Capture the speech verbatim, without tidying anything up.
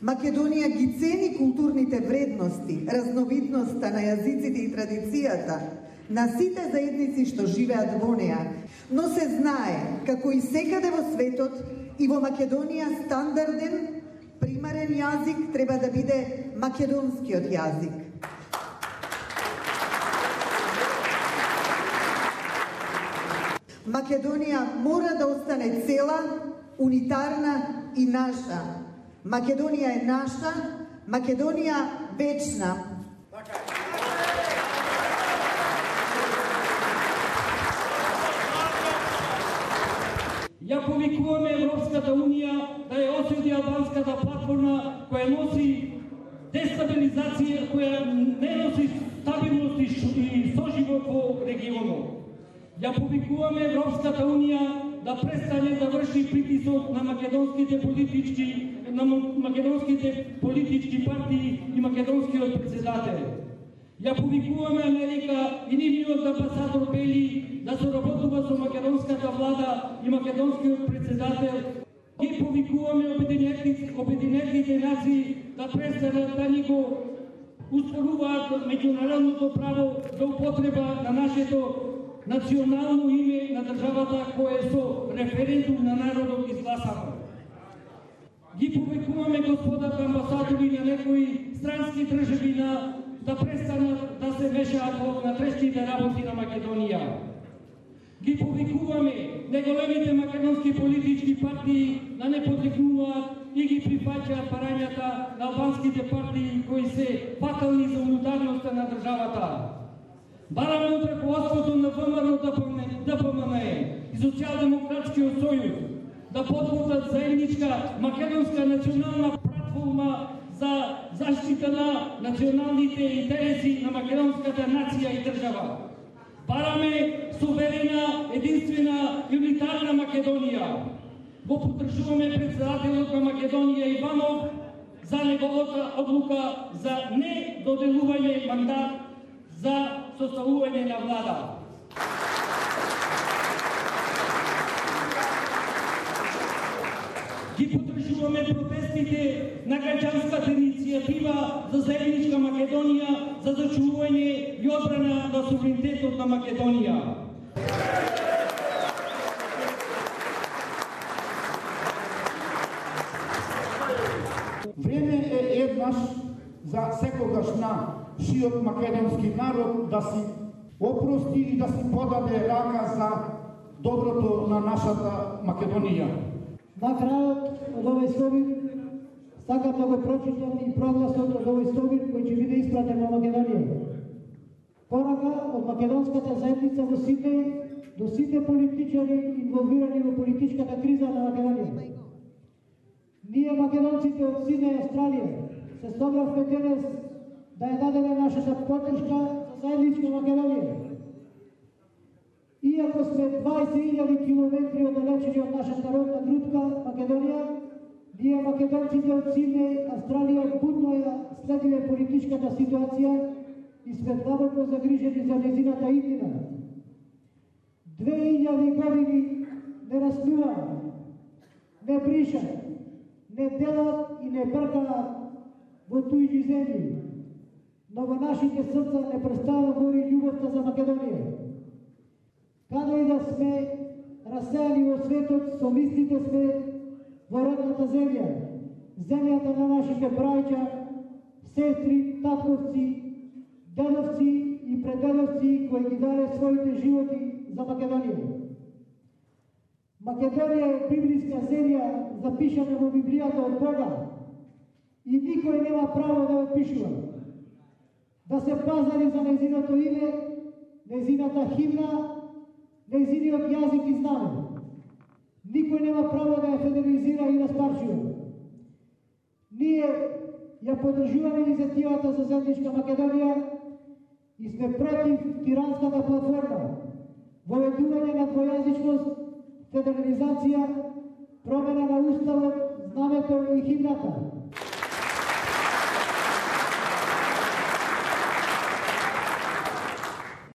Македонија ги цени културните вредности, разновидноста на јазиците и традицијата на сите заедници што живеат во неа, но се знае како и секаде во светот и во Македонија стандарден, примарен јазик треба да биде македонскиот јазик. Македонија мора да остане цела, унитарна и наша. Македонија е наша, Македонија вечна. Ја повикуваме Европската Унија да ја осуди албанската платформа која носи дестабилизација, која не носи стабилност и соживот во регионот. Ја повикуваме Европската Унија да престане да врши притисок на македонските политички на македонските политички партии и македонскиот председател. Ја повикуваме Америка и нивниот амбасадор Бели да соработува со македонската влада и македонскиот председател. Ги повикуваме Обединетите нации да престанат да ни го успоруваат меѓународното право за употреба на нашето национално име на државата која е со референдум на народот изгласано. Ги повикуваме господата амбасадори на некои странски држави на да престанат да се мешаат во внатрешните работи на Македонија. Ги повикуваме неголемите македонски политички партии да не подрекнуваат и ги прифаќаат барањата на албанските партии кои се фатални за унитарноста на државата. Бараме од раководството на ВМРО Д П М Н Е и Социјалдемократскиот сојуз да подготват заедничка македонска национална платформа за заштита на националните интереси на македонската нација и држава. Бараме суверена, единствена и унитарна Македонија. Го поддржуваме председателот на Македонија Иванов за неговата одлука за не доделување мандат за составување на влада. Ги поддржуваме протестите на граѓанската иницијатива за заедничка Македонија за зачувување и одбрана на суверенитетот на Македонија. Време е еднаш за секогаш на шиот македонски народ да си опрости и да си подаде рака за доброто на нашата Македонија. На крајот од овој совет сакам да го прочитам и прогласот од овој совет кој ќе биде испратен во Македонија. Порака од македонската заедница во Сиднеј до сите политичари инволвирани во политичката криза на Македонија. Ние македонците од Сиднеј, Австралија, се собравме денес да ја дадеме нашата поддршка за заедничка Македонија. Иако сме дваесет илјади километри оддалечени од нашата родна грудка Македонија, ние македонците од Сиднеј, Австралија, будно ја следиме политичката ситуација и сме длабоко загрижени за незината иднина. Две илјади години не раснуваат, не бришат, не делат и не бркаат во туѓи земји, но во нашите срца непрестанно гори љубовта за Македонија. Каде и да сме расејани во светот, со мислите сме во родната земја, земјата на нашите браќа, сестри, татковци, дедовци и предедовци кои ги даде своите животи за Македонија. Македонија е библиска земја запишана во Библијата од Бога и никој нема право да ја пишува. Да се пазари за незиното име, незината химна, незиниот јазик и знаме. Никој нема право да ја федерализира и да спарчува. Ние ја поддржуваме иницијативата за заедничка Македонија и сме против тиранската платформа, воведување на двојазичност, федерализација, промена на уставот, знамето и химната.